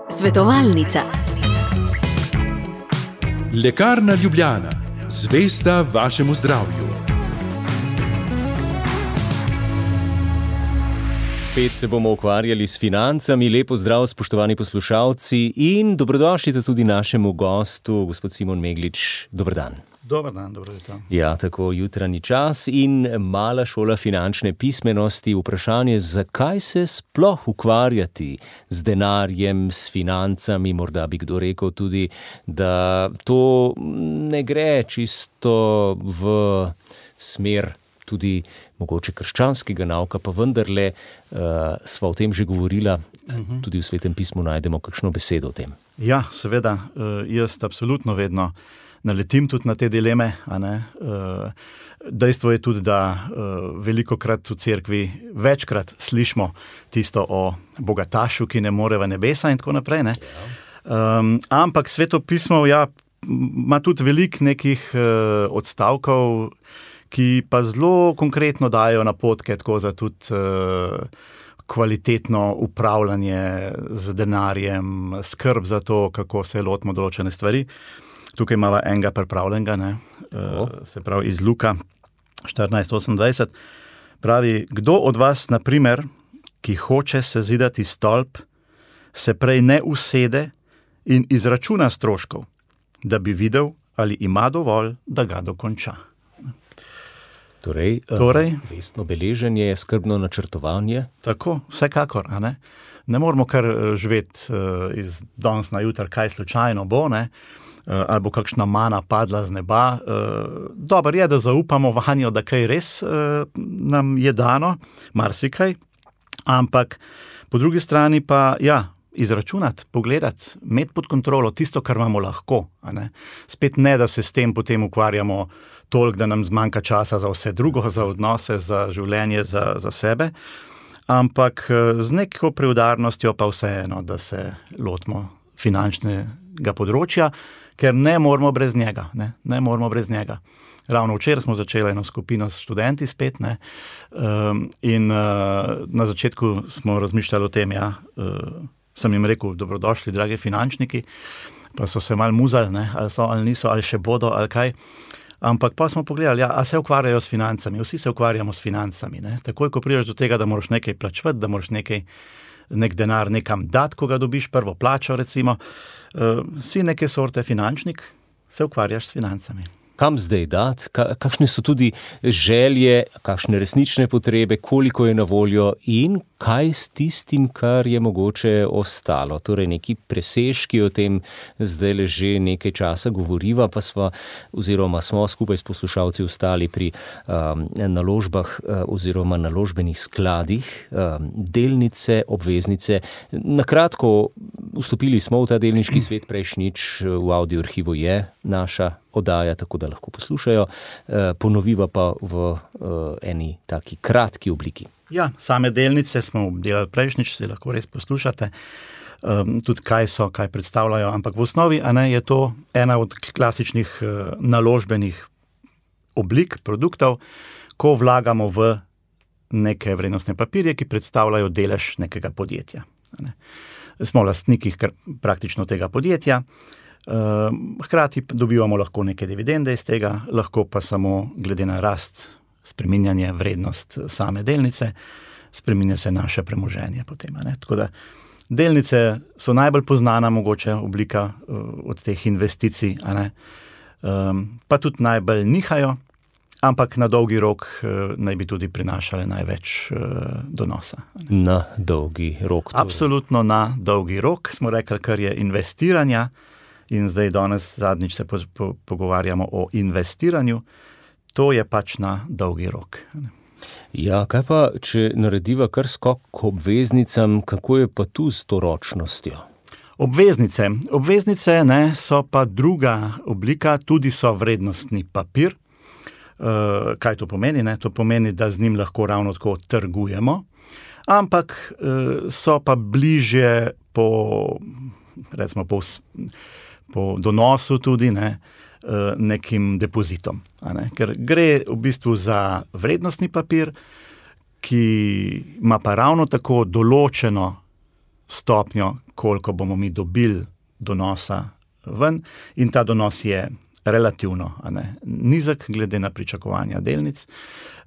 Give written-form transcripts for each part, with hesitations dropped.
Svetovalnica. Lekarna Ljubljana, zvesta vašemu zdravju. Spet se bomo ukvarjali s financami. Lepo zdrav, spoštovani poslušalci, in dobrodošli tudi našemu gostu, gospod Simon Meglič. Dober dan. Dober dan, dobro jutro. Ja, tako jutranji čas in mala šola finančne pismenosti. Vprašanje, zakaj se sploh ukvarjati z denarjem, s financami, morda bi kdo rekel tudi, da to ne gre čisto v smer tudi mogoče krščanskega nauka, pa vendarle sva o tem že govorila, tudi v Svetem pismu najdemo kakšno besedo o tem. Ja, seveda, jaz absolutno vedno naletim tudi na te dileme, a ne. Dejstvo je tudi, da velikokrat v cerkvi večkrat slišimo tisto o bogatašu, ki ne more v nebesa in tako naprej, ne. Ampak Sveto pismo, ja, ima tudi veliko nekih odstavkov, ki pa zelo konkretno dajo napotke tako za tudi kvalitetno upravljanje z denarjem, skrb za to, kako se lotimo določene stvari. Tukaj imamo enega pripravljenega, ne, se pravi iz Luka 14:28. Pravi, kdo od vas, na primer, ki hoče sezidati stolp, se prej ne usede in izračuna stroškov, da bi videl, ali ima dovolj, da ga dokonča. Torej, vestno beleženje, skrbno načrtovanje. Tako, vsekakor, a ne. Ne moramo kar živeti iz danes na jutri, kaj slučajno bo, ne, ali bo kakšna mana padla z neba. Dobro je, da zaupamo vanjo, da kaj res nam je dano, marsikaj, ampak po drugi strani pa, ja, izračunati, pogledati, imeti pod kontrolo tisto, kar imamo lahko, a ne. Spet ne, da se s tem potem ukvarjamo toliko, da nam zmanjka časa za vse drugo, za odnose, za življenje, za sebe, ampak z neko preudarnostjo pa vseeno, da se lotimo finančnega področja, ker ne moramo brez njega, ne moramo brez njega. Ravno včeraj smo začeli eno skupino s študenti spet, ne, in na začetku smo razmišljali o tem, ja, sem jim rekel, dobrodošli, dragi finančniki, pa so se malo muzali, ne, ali so, ali niso, ali še bodo, ali kaj. Ampak pa smo pogledali, ja, a se ukvarjajo s financami, vsi se ukvarjamo s financami, ne. Takoj, ko prideš do tega, da moraš nekaj plačevati, da moraš nek denar nekam dati, ko ga dobiš, prvo plačo recimo, si neke sorte finančnik, se ukvarjaš s financami. Kam zdaj dati, kakšne so tudi želje, kakšne resnične potrebe, koliko je na voljo in kaj s tistim, kar je mogoče ostalo. Torej neki presežki, o tem zdaj že nekaj časa govoriva, pa smo skupaj s poslušalci ostali pri naložbah oziroma naložbenih skladih, delnice, obveznice. Na kratko, vstopili smo v ta delniški svet prejšnjič, v audio arhivu je naša oddaja, tako da lahko poslušajo, ponoviva pa v eni taki kratki obliki. Ja, same delnice smo delali prejšnjič, se lahko res poslušate, tudi kaj predstavljajo, ampak v osnovi, a ne, je to ena od klasičnih naložbenih oblik, produktov, ko vlagamo v neke vrednostne papirje, ki predstavljajo delež nekega podjetja. Ne. Smo lastniki praktično tega podjetja, hkrati dobivamo lahko neke dividende iz tega, lahko pa samo glede na rast, spreminjanje, vrednost same delnice, spreminja se naše premoženje potem, ne. Tako da delnice so najbolj poznana mogoče oblika od teh investicij, a ne. Pa tudi najbolj nihajo, ampak na dolgi rok naj bi tudi prinašale največ donosa. Na dolgi rok. Absolutno na dolgi rok, smo rekli, kar je investiranja, in zdaj danes zadnjič se pogovarjamo o investiranju, to je pač na dolgi rok. Ja, kaj pa, če narediva kar skok k obveznicam, kako je pa tu s to ročnostjo? Obveznice, ne, so pa druga oblika, tudi so vrednostni papir. Kaj to pomeni, ne? To pomeni, da z njim lahko ravno tako trgujemo, ampak so pa bližje recimo po donosu tudi, ne, nekim depozitom. Ne? Ker gre v bistvu za vrednostni papir, ki ima pa ravno tako določeno stopnjo, koliko bomo mi dobili donosa ven, in ta donos je relativno nizek glede na pričakovanja delnic,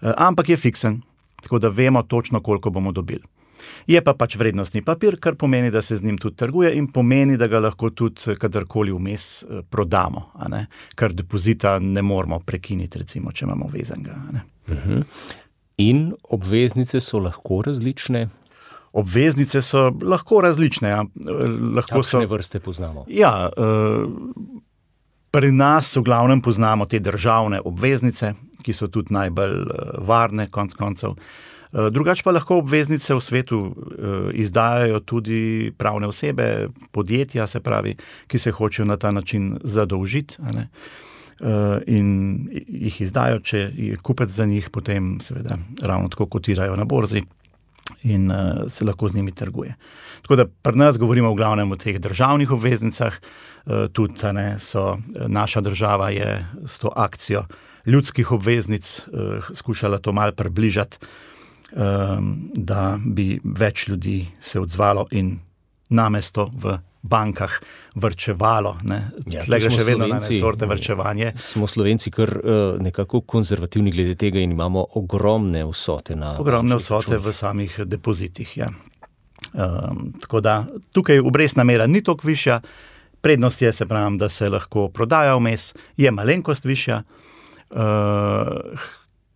ampak je fiksen, tako da vemo točno, koliko bomo dobili. Je pa pač vrednostni papir, kar pomeni, da se z njim tudi trguje in pomeni, da ga lahko tudi kadarkoli vmes prodamo, kar depozita ne moramo prekiniti, recimo, če imamo vezanega. In obveznice so lahko različne? Obveznice so lahko različne. Kakšne vrste poznamo? Ja, pri nas v glavnem poznamo te državne obveznice, ki so tudi najbolj varne, konec koncev. Drugače pa lahko obveznice v svetu izdajajo tudi pravne osebe, podjetja, se pravi, ki se hočejo na ta način zadolžiti, in jih izdajo, če je kupec za njih, potem seveda ravno tako kotirajo na borzi in se lahko z njimi trguje. Tako da pri nas govorimo v glavnem o teh državnih obveznicah, tudi naša država je s to akcijo ljudskih obveznic skušala to malo približati, da bi več ljudi se odzvalo in namesto v bankah vrčevalo. Tle gre še vedno na sorte vrčevanje. Smo Slovenci kar nekako konzervativni glede tega in imamo ogromne vsote na ogromne vsote v samih depozitih, ja. Tako da tukaj obrestna mera ni toliko višja, prednost je, se pravim, da se lahko prodaja vmes, je malenkost višja,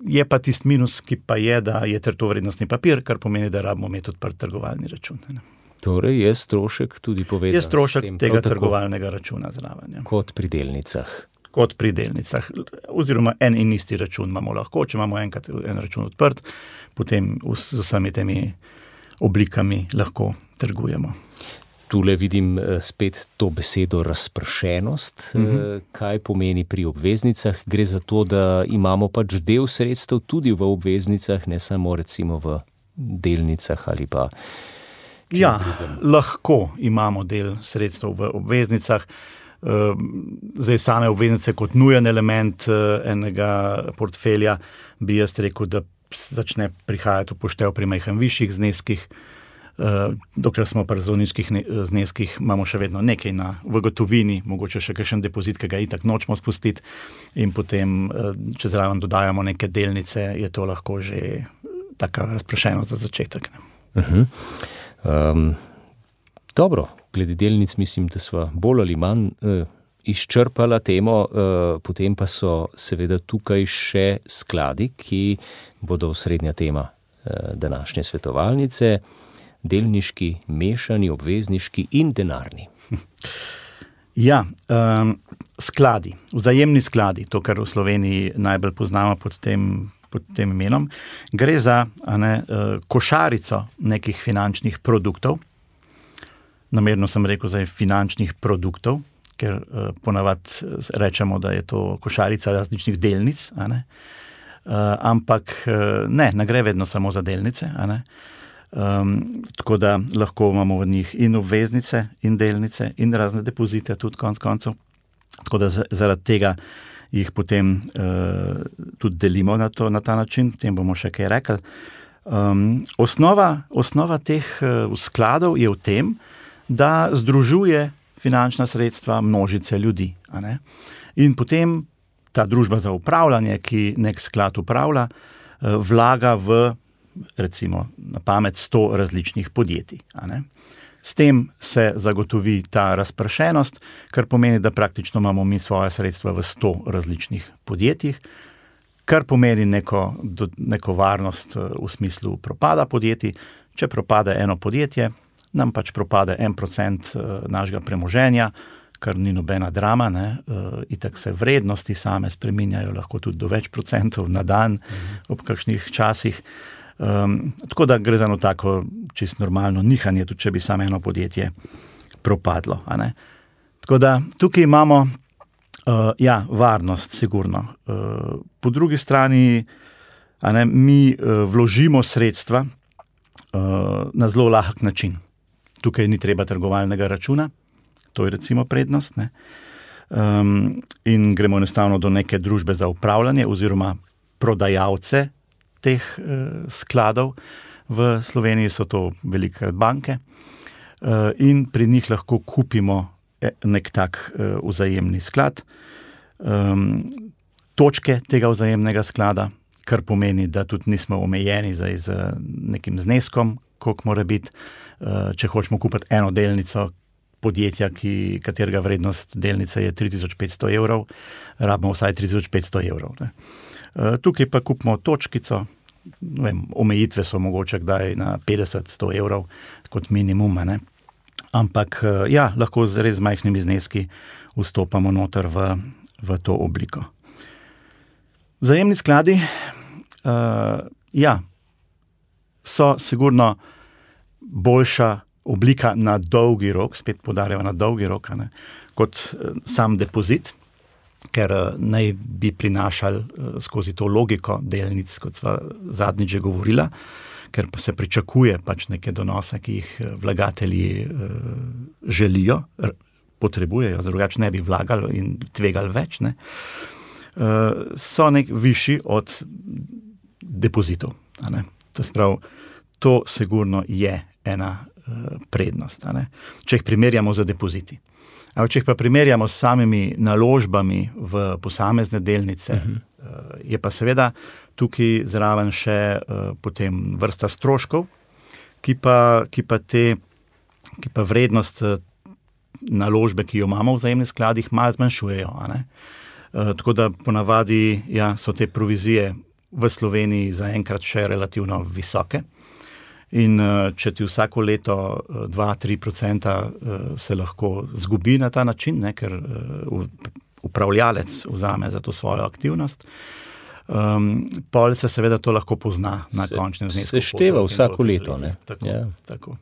je pa tisti minus, ki pa je, da je to vrednostni papir, kar pomeni, da rabimo imeti odprt trgovalni račun. Torej je strošek tudi povezan s tem? Je strošek tega trgovalnega računa zraven. Kot pri delnicah. Kot pri delnicah. Oziroma en in isti račun imamo lahko, če imamo enkrat en račun odprt, potem z vsemi temi oblikami lahko trgujemo. Tule vidim spet to besedo razpršenost. Kaj pomeni pri obveznicah? Gre za to, da imamo pač del sredstev tudi v obveznicah, ne samo recimo v delnicah ali pa... Ja, lahko imamo del sredstev v obveznicah. Zdaj same obveznice kot nujen element enega portfelja bi jaz rekel, da začne prihajati upoštev pri majhen višjih zneskih. Dokler smo pri zelo nizkih zneskih, imamo še vedno nekaj v gotovini, mogoče še kakšen depozit, ki ga itak nočemo spustiti, in potem, če zraven dodajamo neke delnice, je to lahko že taka razprašenost za začetek. Dobro, glede delnic mislim, da sva bolj ali manj izčrpala temo, potem pa so seveda tukaj še skladi, ki bodo osrednja tema današnje svetovalnice, delniški, mešani, obvezniški in denarni. Ja, skladi, vzajemni skladi, to, kar v Sloveniji najbolj poznamo pod tem imenom, gre za košarico nekih finančnih produktov. Namerno sem rekel za finančnih produktov, ker ponavadi rečemo, da je to košarica različnih delnic, ampak ne gre vedno samo za delnice, tako da lahko imamo v njih in obveznice, in delnice, in razne depozite tudi konec koncev. Tako da zaradi tega jih potem tudi delimo na ta način, tem bomo še kaj rekli. Osnova teh skladov je v tem, da združuje finančna sredstva množice ljudi. In potem ta družba za upravljanje, ki nek sklad upravlja, vlaga v, recimo, na pamet 100 različnih podjetij. S tem se zagotovi ta razpršenost, kar pomeni, da praktično imamo mi svoje sredstva v 100 različnih podjetjih, kar pomeni neko varnost v smislu propada podjetij. Če propade eno podjetje, nam pač propade 1% našega premoženja, kar ni nobena drama, itak se vrednosti same spreminjajo, lahko tudi do več procentov na dan ob kakšnih časih. Tako da gre za eno tako čisto normalno nihanje, tudi če bi samo eno podjetje propadlo. Tako da tukaj imamo varnost, sigurno. Po drugi strani mi vložimo sredstva na zelo lahek način. Tukaj ni treba trgovalnega računa, to je recimo prednost, in gremo enostavno do neke družbe za upravljanje oziroma prodajalce teh skladov. V Sloveniji so to velikokrat banke. in pri njih lahko kupimo nek tak vzajemni sklad. Točke tega vzajemnega sklada, kar pomeni, da tudi nismo omejeni z nekim zneskom, koliko mora biti. Če hočemo kupiti eno delnico podjetja, katerega vrednost delnice je 3500 evrov, rabimo vsaj 3500 evrov. Ne. Tukaj pa kupimo točkico, omejitve so mogoče kdaj na 50-100 evrov kot minimum, ne. Ampak lahko z res majhnimi zneski vstopamo noter v to obliko. Vzajemni skladi, so sigurno boljša oblika na dolgi rok, spet poudarjamo na dolgi rok, ne, kot sam depozit, ker naj bi prinašali skozi to logiko delnic, kot sva zadnjič že govorila, ker pa se pričakuje pač neke donose, ki jih vlagatelji želijo, potrebujejo, drugače ne bi vlagali in tvegali več, ne. So višji od depozitov. Ne. To sprav, to sigurno je ena prednost. Ne. Če jih primerjamo z depoziti. Če jih pa primerjamo s samimi naložbami v posamezne delnice, je pa seveda tukaj zraven še potem vrsta stroškov, ki pa vrednost naložbe, ki jo imamo v vzajemnih skladih, malo zmanjšujejo. Ne. Tako da ponavadi so te provizije v Sloveniji zaenkrat še relativno visoke. In če ti vsako leto 2-3% se lahko zgubi na ta način, ne, ker upravljalec vzame za to svojo aktivnost, pol se seveda to lahko pozna na končnem znesku. Se števa vsako leto, ne? Tako.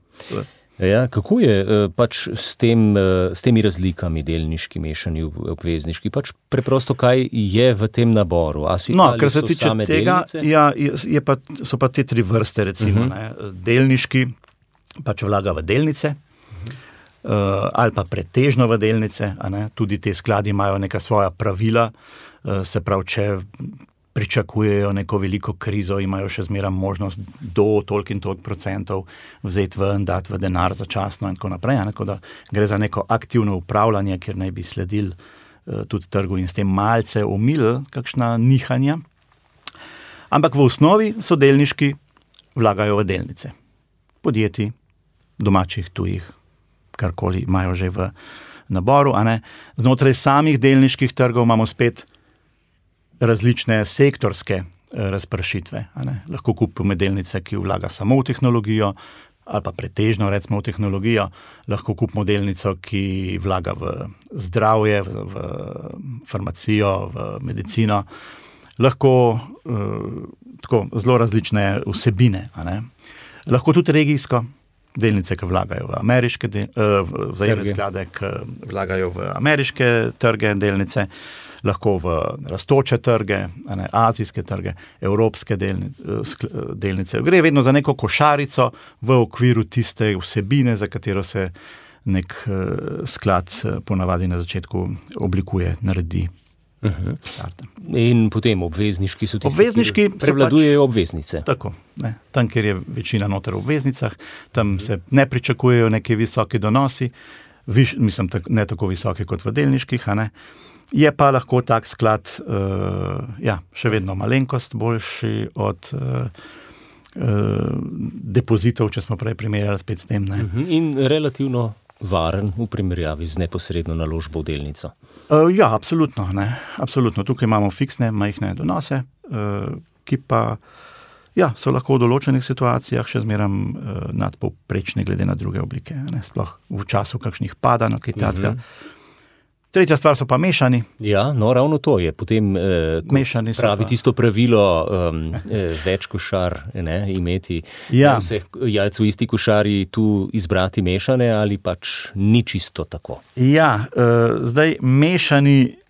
Kako je pač s temi razlikami delniški, mešani, obvezniški? Pač preprosto, kaj je v tem naboru? Kar se tiče tega, so pa te 3 vrste, recimo. Ne. Delniški pač vlaga v delnice, ali pa pretežno v delnice. Ne. Tudi te skladi imajo neka svoja pravila, se pravi, če pričakujejo neko veliko krizo, imajo še zmeraj možnost do toliko in toliko procentov vzeti ven, dati v denar začasno in tako naprej. Tako da gre za neko aktivno upravljanje, kjer naj bi sledili tudi trgu in s tem malce omilili kakšna nihanja. Ampak v osnovi so delniški vlagajo v delnice. Podjetij, domačih, tujih, karkoli imajo že v naboru. Znotraj samih delniških trgov imamo spet različne sektorske razpršitve. Lahko kupimo delnice, ki vlaga samo v tehnologijo, ali pa pretežno recimo v tehnologijo. Lahko kupimo delnico, ki vlaga v zdravje, v farmacijo, v medicino. Lahko tako zelo različne vsebine. Lahko tudi regijsko. Delnice, ki vlagajo v ameriške vzajemne sklade, ki vlagajo v ameriške trge delnice, lahko v rastoče trge, azijske trge, evropske delnice. Gre vedno za neko košarico v okviru tiste vsebine, za katero se nek sklad ponavadi na začetku oblikuje, naredi. In potem obvezniški so tisti, ki prevladujejo obveznice. Tako. Ne. Tam, kjer je večina noter v obveznicah, tam se ne pričakujejo neki visoki donosi, ne tako visoki kot v delniških, Je pa lahko tak sklad še vedno malenkost boljši od depozitov, če smo prej primerjali spet s tem. Ne. In relativno varen v primerjavi z neposredno naložbo v delnico. Absolutno. Ne. Absolutno. Tukaj imamo fiksne, majhne donose, ki pa so lahko v določenih situacijah še zmeraj nadpovprečne glede na druge oblike. Ne. Sploh v času kakšnih padanj, kaj takega. Tretja stvar so pa mešani. Ravno to je. Potem, mešani pravi tisto pravilo, več košar imeti. Vseh jajc v isti košari tu izbrati mešane ali pač ni čisto tako? Zdaj mešani,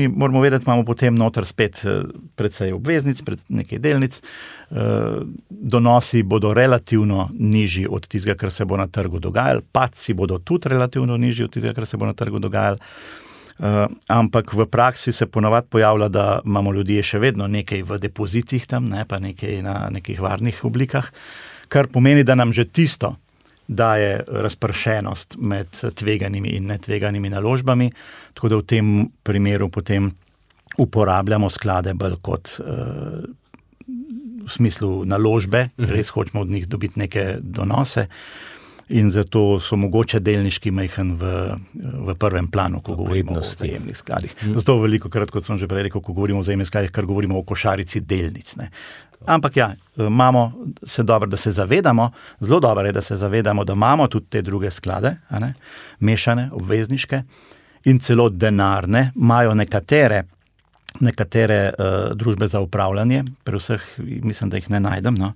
moramo vedeti, imamo potem noter spet precej obveznic, nekaj delnic. Donosi bodo relativno nižji od tistega, kar se bo na trgu dogajalo. Padci bodo tudi relativno nižji od tistega, kar se bo na trgu dogajalo. Ampak v praksi se ponavadi pojavlja, da imamo ljudje še vedno nekaj v depozitih tam, pa nekaj na nekih varnih oblikah, kar pomeni, da nam že tisto, daje razpršenost med tveganimi in netveganimi naložbami, tako da v tem primeru potem uporabljamo sklade bolj kot v smislu naložbe, res hočemo od njih dobiti neke donose in zato so mogoče delniški majhen v prvem planu, ko govorimo o vzajemnih skladih. Zato veliko krat, kot sem že prej rekel, ko govorimo o vzajemnih skladih, kar govorimo o košarici delnic, ne. Ampak ja, zelo dobro je, da se zavedamo, da imamo tudi te druge sklade, a ne, mešane, obvezniške in celo denarne, imajo nekatere družbe za upravljanje, pri vseh mislim, da jih ne najdem. No.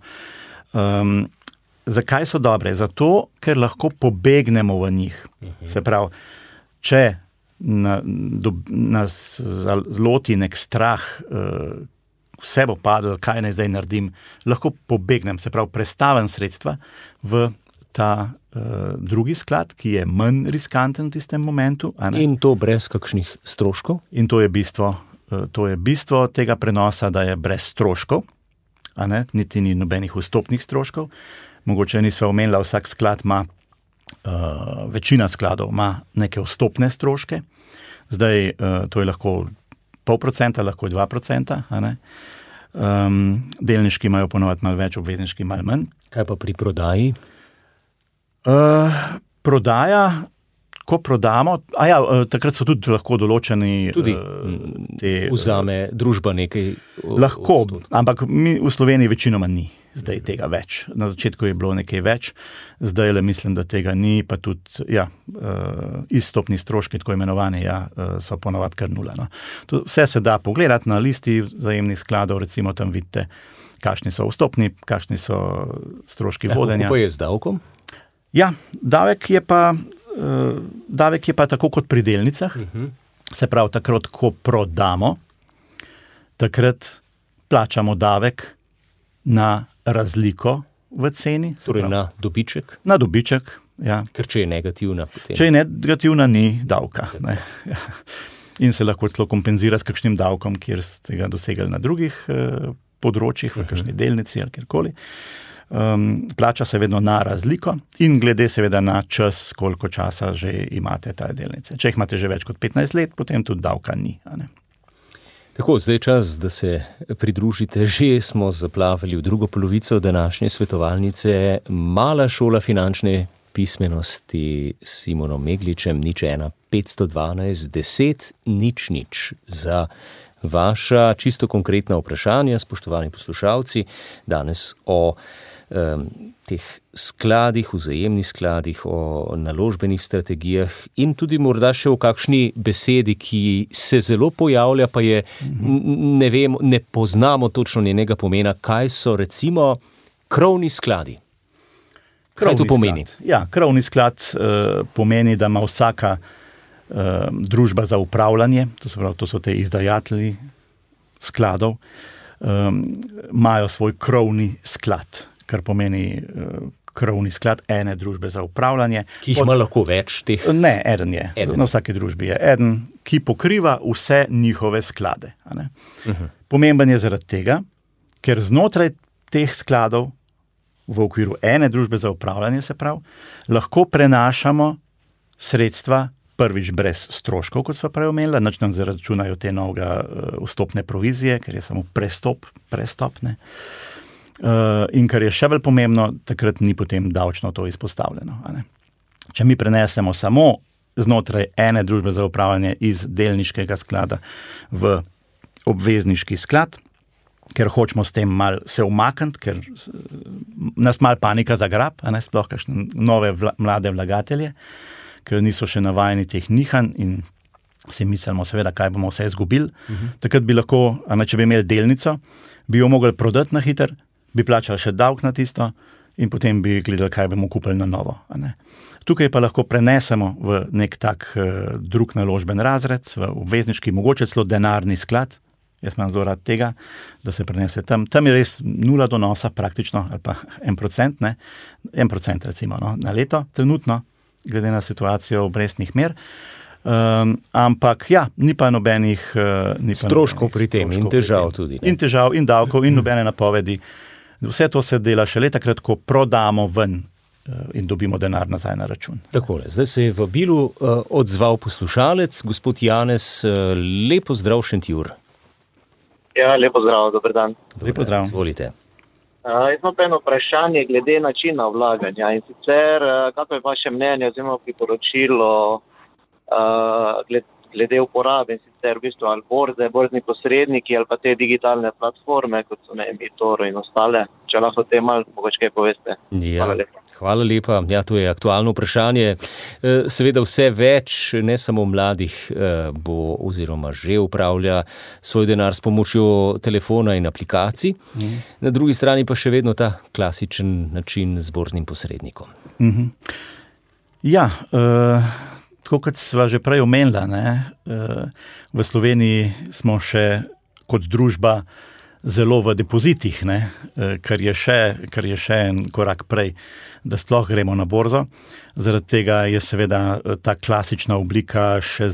Zakaj so dobre? Zato, ker lahko pobegnemo v njih. Se pravi, če nas zloti nek strah, vse bo padlo, kaj naj zdaj naredim, lahko pobegnem, se pravi, prestavim sredstva v ta drugi sklad, ki je manj riskanten v tistem momentu. A ne? In to brez kakšnih stroškov? In to je bistvo tega prenosa, da je brez stroškov, a ne? Niti ni nobenih vstopnih stroškov. Mogoče nisva omenila, vsak sklad ima, večina skladov ima neke vstopne stroške. Zdaj, to je lahko 0,5%, lahko 2%, a ne? Delniški imajo ponovadi malo več, obvezniški malo manj. Kaj pa pri prodaji? Prodaja, ko prodamo, takrat so tudi lahko določeni vzame družba nekaj lahko, ampak mi v Sloveniji večinoma ni zdaj tega več. Na začetku je bilo nekaj več, zdaj le mislim, da tega ni, pa tudi izstopni stroški, tako imenovani, so ponovadi kar nula. No. Vse se da pogledati na listi vzajemnih skladov, recimo tam vidite, kakšni so vstopni, kakšni so stroški vodenja. Kako pa je z davkom? Ja, davek je pa tako kot pri delnicah, se pravi, takrat, ko prodamo, takrat plačamo davek na razliko v ceni. Torej na dobiček? Na dobiček, ja. Ker če je negativna, potem. Če je negativna, ni davka. Ne. In se lahko celo kompenzira s kakšnim davkom, kjer ste ga dosegli na drugih področjih, v kakšni delnici ali kjerkoli. Plača se vedno na razliko in glede seveda na čas, koliko časa že imate ta delnice. Če jih imate že več kot 15 let, potem tudi davka ni. A ne? Tako, zdaj čas, da se pridružite. Že smo zaplavili v drugo polovico današnje svetovalnice. Mala šola finančne pismenosti s Simonom Megličem, 01 512 10 00 za vaša čisto konkretna vprašanja, spoštovani poslušalci, danes o teh skladih, vzajemnih skladih, o naložbenih strategijah in tudi morda še o kakšni besedi, ki se zelo pojavlja, pa je, ne vem, ne poznamo točno njenega pomena. Kaj so recimo krovni skladi? Kaj to pomeni? Ja, krovni sklad pomeni, da ima vsaka družba za upravljanje, to so te izdajatelji skladov, imajo svoj krovni sklad, kar pomeni krovni sklad ene družbe za upravljanje. Ki jih ima lahko več teh? Ne, eden je. Na vsaki družbi je eden, ki pokriva vse njihove sklade. A ne? Pomemben je zaradi tega, ker znotraj teh skladov v okviru ene družbe za upravljanje, se pravi, lahko prenašamo sredstva prvič brez stroškov, kot sva prej omenila, nič nam zaračunajo te novega vstopne provizije, ker je samo prestopne. In kar je še bolj pomembno, takrat ni potem davčno to izpostavljeno. A ne? Če mi prenesemo samo znotraj ene družbe za upravljanje iz delniškega sklada v obvezniški sklad, ker hočemo s tem mal se umakniti, ker nas mal panika zagrab, a ne, sploh kakšne nove mlade vlagatelje, ker niso še navajeni teh nihanj in si mislimo seveda, kaj bomo vse izgubili. Takrat bi lahko, če bi imeli delnico, bi jo mogli prodati na hiter, bi plačali še davek na tisto in potem bi gledali, kaj bomo kupili na novo. A ne. Tukaj pa lahko prenesemo v nek tak drug naložben razred, v obvezniški, mogoče celo denarni sklad. Jaz imam zelo rad tega, da se prenese tam. Tam je res nula donosa praktično, ali pa 1%, ne? 1% recimo, no, na leto, trenutno, glede na situacijo obrestnih mer. Ampak ja, ni pa nobenih stroškov pri tem in težav tudi. In težav, in davkov, in nobene napovedi. Vse to se dela šele takrat, ko prodamo ven in dobimo denar nazaj na račun. Takole, zdaj se je v Bilu odzval poslušalec, gospod Janez, lepo zdrav Šentjur. Ja, lepo zdrav, dober dan. Lepo zdrav. Izvolite. Jaz imam eno vprašanje glede načina vlaganja in sicer, kako je vaše mnenje oziroma priporočilo glede uporabe, in sicer v bistvu ali borze, borzni posredniki ali pa te digitalne platforme, kot so eToro in ostale, če lahko te malo mogoče kaj poveste. Ja. Hvala lepa. Ja, to je aktualno vprašanje. Seveda vse več, ne samo mladih, bo oziroma že upravlja svoj denar s pomočjo telefona in aplikacij. Na drugi strani pa še vedno ta klasičen način z borznim posrednikom. Ja, tako kot sva že prej omenila, v Sloveniji smo še kot družba zelo v depozitih, kar je še en korak prej, da sploh gremo na borzo. Zaradi tega je seveda ta klasična oblika še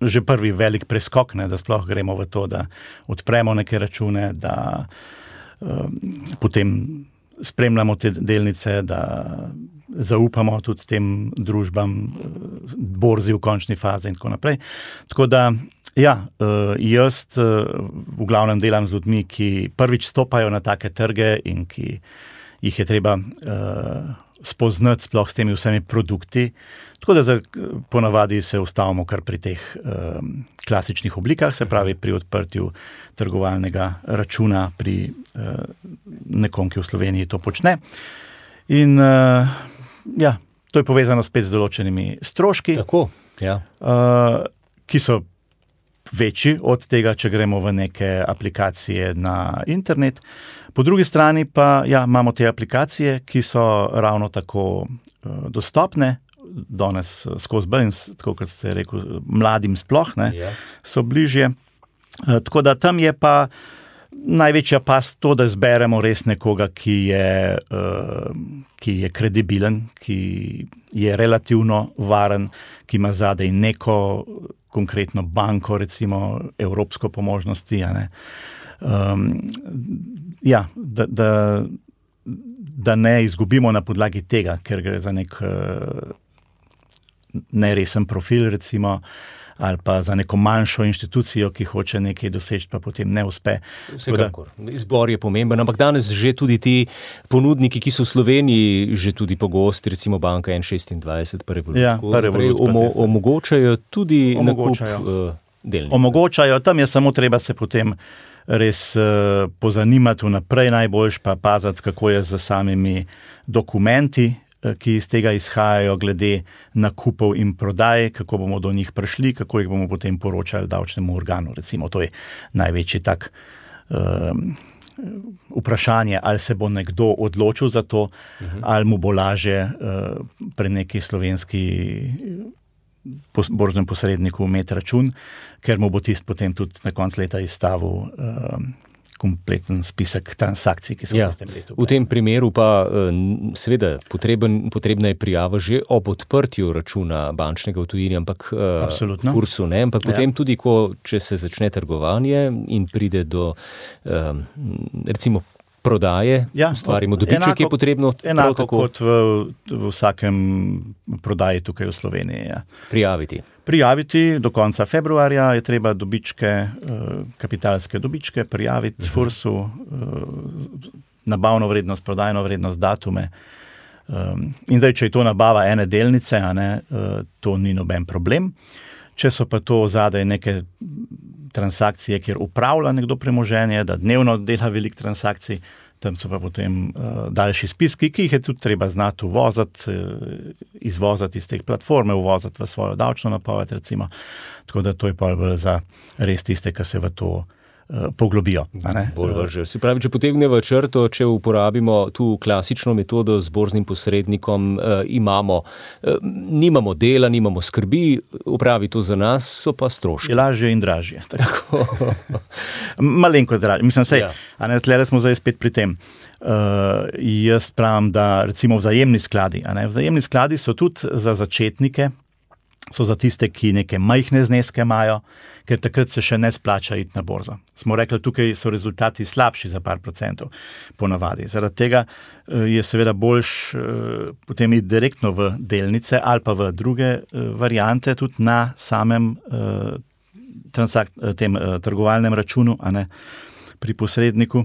že prvi velik preskok, da sploh gremo v to, da odpremo neke račune, da potem spremljamo te delnice, da zaupamo tudi tem družbam, borzi v končni fazi in tako naprej. Tako da, ja, jaz v glavnem delam z ljudmi, ki prvič stopajo na take trge in ki jih je treba spoznati sploh s temi vsemi produkti. Tako da ponavadi se ustavimo kar pri teh klasičnih oblikah, se pravi pri odprtju trgovalnega računa pri nekom, ki v Sloveniji to počne. In ja, to je povezano spet z določenimi stroški, Tako, ja. Ki so večji od tega, če gremo v neke aplikacije na internet. Po drugi strani pa ja, imamo te aplikacije, ki so ravno tako dostopne, danes skozi bolj, tako kot ste rekel, mladim sploh, so bližje. Tako da tam je pa največja past to, da zberemo res nekoga, ki je kredibilen, ki je relativno varen, ki ima zadaj neko konkretno banko, recimo evropsko po možnosti, ja, da ne izgubimo na podlagi tega, ker gre za nek neresen profil, recimo, ali pa za neko manjšo inštitucijo, ki hoče nekaj doseči, pa potem ne uspe. Vsekakor. Izbor je pomemben, ampak danes že tudi ti ponudniki, ki so v Sloveniji že tudi pogosti, recimo banka N26, pa Revolut, omogočajo tudi nakup delnic. Omogočajo, tam je samo treba se potem res pozanimati vnaprej, najboljš pa paziti, kako je z samimi dokumenti, ki iz tega izhajajo glede nakupov in prodaj, kako bomo do njih prišli, kako jih bomo potem poročali davčnemu organu. Recimo, to je največji tak vprašanje, ali se bo nekdo odločil za to, ali mu bo lažje pri neki slovenski borznem posredniku imeti račun, ker mu bo tist potem tudi na koncu leta izstavil kompleten spisek transakcij, ki so v tem letu. V tem primeru pa seveda potrebna je prijava že ob odprtju računa bančnega v tujini, ampak FURS-u ne, ampak potem tudi, če se začne trgovanje in pride do recimo prodaje, ustvarimo dobiček, je potrebno enako kot v vsakem prodaji tukaj v Sloveniji. Prijaviti do konca februarja je treba dobičke, kapitalske dobičke prijaviti FURS-u, nabavno vrednost, prodajno vrednost, datume. In zdaj, če je to nabava ene delnice, to ni noben problem. Če so pa to zadaj neke transakcije, kjer upravlja nekdo premoženje, da dnevno dela veliko transakcij, tam so pa potem daljši spiski, ki jih je tudi treba znati uvoziti, izvoziti iz teh platforme, uvoziti v svojo davčno napoved, recimo. Tako da to je pa za res tiste, ki se v to poglobijo. Se pravi, če potegnemo črto, če uporabimo tu klasično metodo z borznim posrednikom, nimamo dela, nimamo skrbi, upravi to za nas, so pa stroški. Lažje in dražje. Malenkost dražje. Mislim, tle smo zdaj spet pri tem. Jaz pravim, da recimo vzajemni skladi. Vzajemni skladi so tudi za začetnike so za tiste, ki neke majhne zneske imajo, ker takrat se še ne splača iti na borzo. Smo rekli, tukaj so rezultati slabši za par procentov ponavadi. Zaradi tega je seveda boljš potem iti direktno v delnice ali pa v druge variante tudi na samem tem trgovalnem računu, a ne, pri posredniku,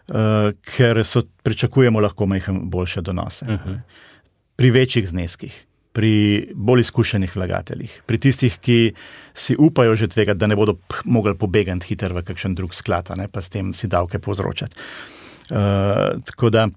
ker pričakujemo lahko boljše donose. Pri večjih zneskih, pri bolj izkušenih vlagateljih, pri tistih, ki si upajo že tvegati, da ne bodo mogli pobegati hitro v kakšen drug sklad, ne, pa s tem si davke povzročati. Tako da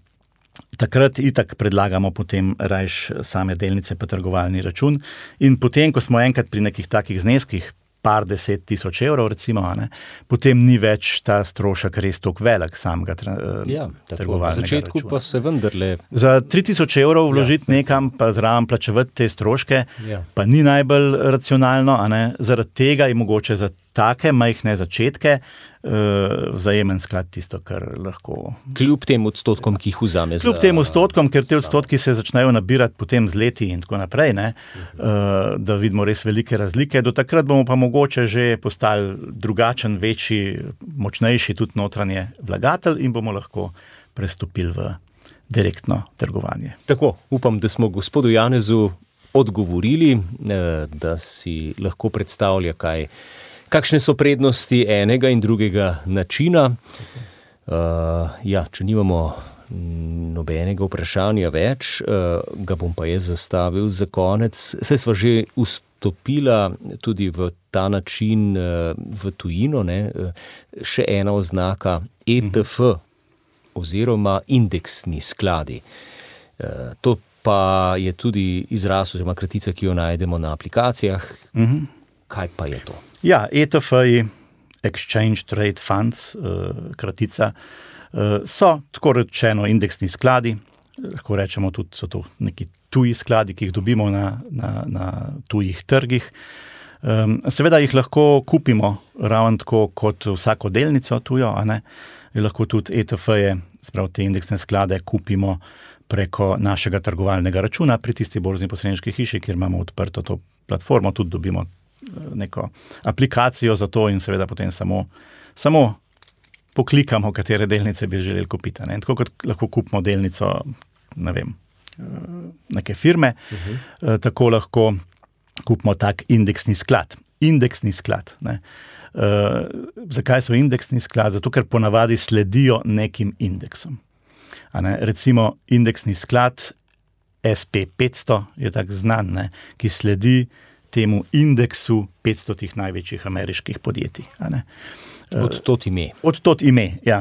takrat itak predlagamo potem rajš same delnice pa trgovalni račun in potem, ko smo enkrat pri nekih takih zneskih, par 10 tisoč evrov recimo, ne, potem ni več ta strošek res toliko velik samega trgovalnega računa. V začetku pa se vendarle... Za 3000 evrov vložiti nekam, pa zraven plačevati te stroške, pa ni najbolj racionalno, a ne, zaradi tega je mogoče za take majhne začetke vzajemen sklad tisto, kar lahko... Kljub tem odstotkom, ki jih vzame za... Kljub tem odstotkom, ker te odstotki se začnejo nabirati potem z leti in tako naprej, ne, da vidimo res velike razlike. Do takrat bomo pa mogoče že postali drugačen, večji, močnejši tudi notranje vlagatelj in bomo lahko prestopili v direktno trgovanje. Tako, upam, da smo gospodu Janezu odgovorili, da si lahko predstavlja, kakšne so prednosti enega in drugega načina. Če nimamo nobenega vprašanja več, ga bom pa jaz zastavil za konec. Saj sva že vstopila tudi v ta način v tujino, ne? Še ena oznaka ETF oziroma indeksni skladi. To pa je tudi izraz oziroma kratica, ki jo najdemo na aplikacijah. Kaj pa je to? Ja, ETF-ji, Exchange Trade Funds, kratica, so tako rečeno indeksni skladi, lahko rečemo tudi, so to neki tuji skladi, ki jih dobimo na tujih trgih. Seveda jih lahko kupimo ravno tako kot vsako delnico tujo, a ne, lahko tudi ETF-je, sprav te indeksne sklade, kupimo preko našega trgovalnega računa pri tisti borzni posredniški hiši, kjer imamo odprto to platformo, tudi dobimo neko aplikacijo za to in seveda potem samo poklikamo, katere delnice bi želeli kupiti. Ne? Tako kot lahko kupimo delnico, ne vem, neke firme, tako lahko kupimo tak indeksni sklad. Indeksni sklad. Ne? Zakaj so indeksni sklad? Zato, ker ponavadi sledijo nekim indeksom. A ne? Recimo indeksni sklad SP500 je tak znan, ne? Ki sledi temu indeksu 500 največjih ameriških podjetij. Od tot ime. Od tot ime, ja.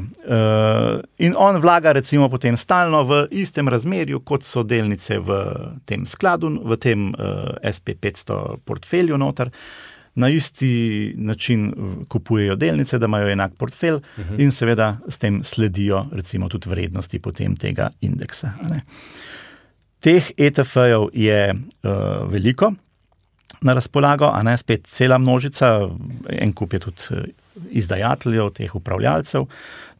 In on vlaga recimo potem stalno v istem razmerju, kot so delnice v tem skladu, v tem SP500 portfelju noter. Na isti način kupujejo delnice, da imajo enak portfelj in seveda s tem sledijo recimo tudi vrednosti potem tega indeksa. Teh ETF-jev je veliko na razpolago, a ne, spet cela množica, en kup je tudi izdajateljev, teh upravljalcev,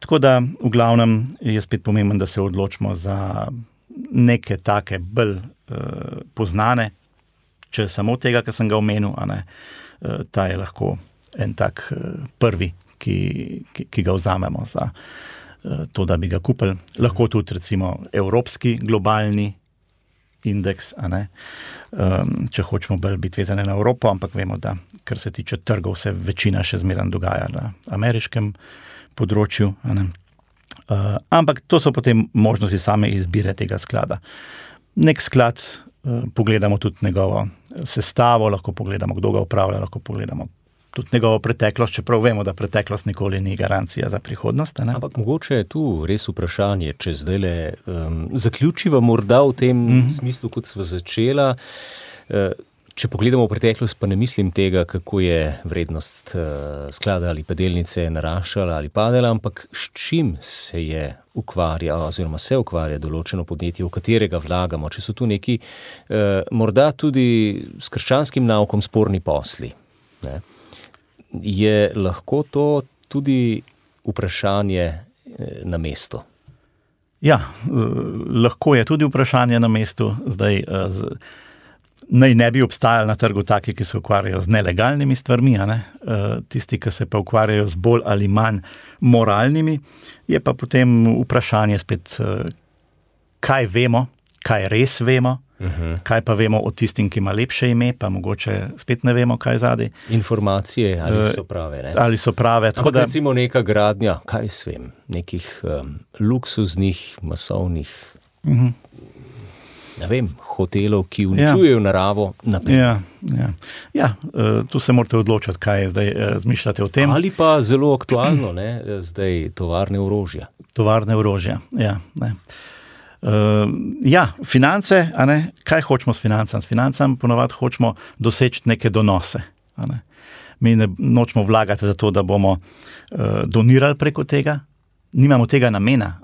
tako da v glavnem je spet pomembno, da se odločimo za neke take bolj poznane, če samo tega, kar sem ga omenil, a ne, ta je lahko en tak prvi, ki ga vzamemo za to, da bi ga kupili. Lahko tudi recimo evropski globalni indeks, a ne, če hočemo bolj biti vezane na Evropo, ampak vemo, da kar se tiče trgov, se večina še zmeraj dogaja na ameriškem področju. A ne. Ampak to so potem možnosti same izbire tega sklada. Nek sklad, pogledamo tudi njegovo sestavo, lahko pogledamo, kdo ga upravlja, lahko pogledamo tudi njegovo preteklost, čeprav vemo, da preteklost nikoli ni garancija za prihodnost. Ne? Ampak mogoče je tu res vprašanje, če zdajle zaključiva morda v tem smislu, kot sva začela. Če pogledamo v preteklost, pa ne mislim tega, kako je vrednost sklada ali pa delnice naraščala ali padala, ampak s čim se ukvarja določeno podjetje, v katerega vlagamo, če so tu neki morda tudi s krščanskim naukom sporni posli. Ne? Je lahko to tudi vprašanje na mestu? Ja, lahko je tudi vprašanje na mestu. Zdaj, naj ne bi obstajali na trgu taki, ki se ukvarjajo z nelegalnimi stvarmi, tisti, ki se pa ukvarjajo z bolj ali manj moralnimi, je pa potem vprašanje spet, kaj vemo, kaj res vemo, kaj pa vemo o tistim, ki ima lepše ime, pa mogoče spet ne vemo, kaj zadaj. Informacije, ali so prave, ne? Ali so prave. Ampak recimo neka gradnja, kaj svem, nekih luksuznih, masovnih, ne vem, hotelov, ki uničujejo naravo, naprimer. Ja, tu se morate odločiti, kaj zdaj razmišljate o tem. Ali pa zelo aktualno, ne, zdaj tovarne orožja. Tovarne orožja, ja, ne. Finance, kaj hočemo s financami? S financami ponovadi hočemo doseči neke donose. Mi ne nočemo vlagati za to, da bomo donirali preko tega, nimamo tega namena.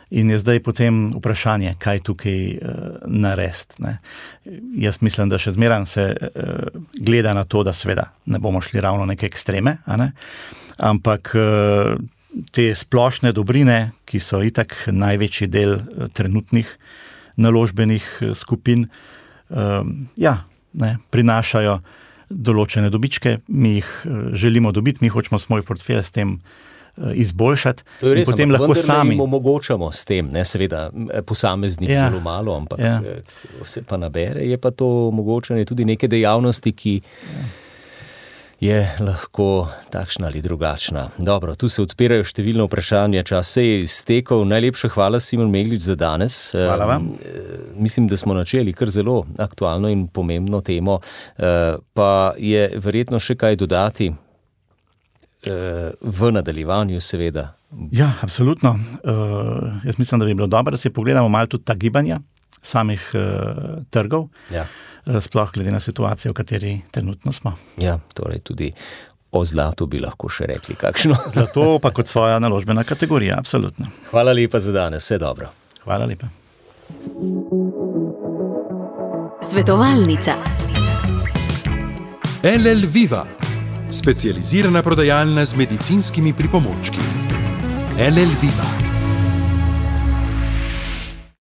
In je zdaj potem vprašanje, kaj tukaj narediti. Jaz mislim, da še zmeraj se gleda na to, da seveda ne bomo šli ravno neke ekstreme, ampak te splošne dobrine, ki so itak največji del trenutnih naložbenih skupin, prinašajo določene dobičke, mi jih želimo dobiti, mi hočemo svoj portfelj s tem izboljšati. To je res, in potem lahko sami jim omogočamo s tem, ne, seveda posameznik zelo malo, ampak se pa nabere, je pa to omogočanje tudi neke dejavnosti, ki je lahko takšna ali drugačna. Dobro, tu se odpirajo številne vprašanja, čas se je iztekel. Najlepša hvala, Simon Meglič, za danes. Hvala vam. Mislim, da smo načeli kar zelo aktualno in pomembno temo, pa je verjetno še kaj dodati v nadaljevanju, seveda. Ja, absolutno. Jaz mislim, da bi bilo dobro, da si pogledamo malo tudi ta gibanja samih trgov. Ja. Sploh glede na situacijo, v kateri trenutno smo. Ja, torej tudi o zlatu bi lahko še rekli kakšno. Zlato pa kot svoja naložbena kategorija, absolutno. Hvala lepa za danes, vse dobro. Hvala lepa. Svetovalnica. LL Viva, specializirana prodajalna z medicinskimi pripomočki. LL Viva.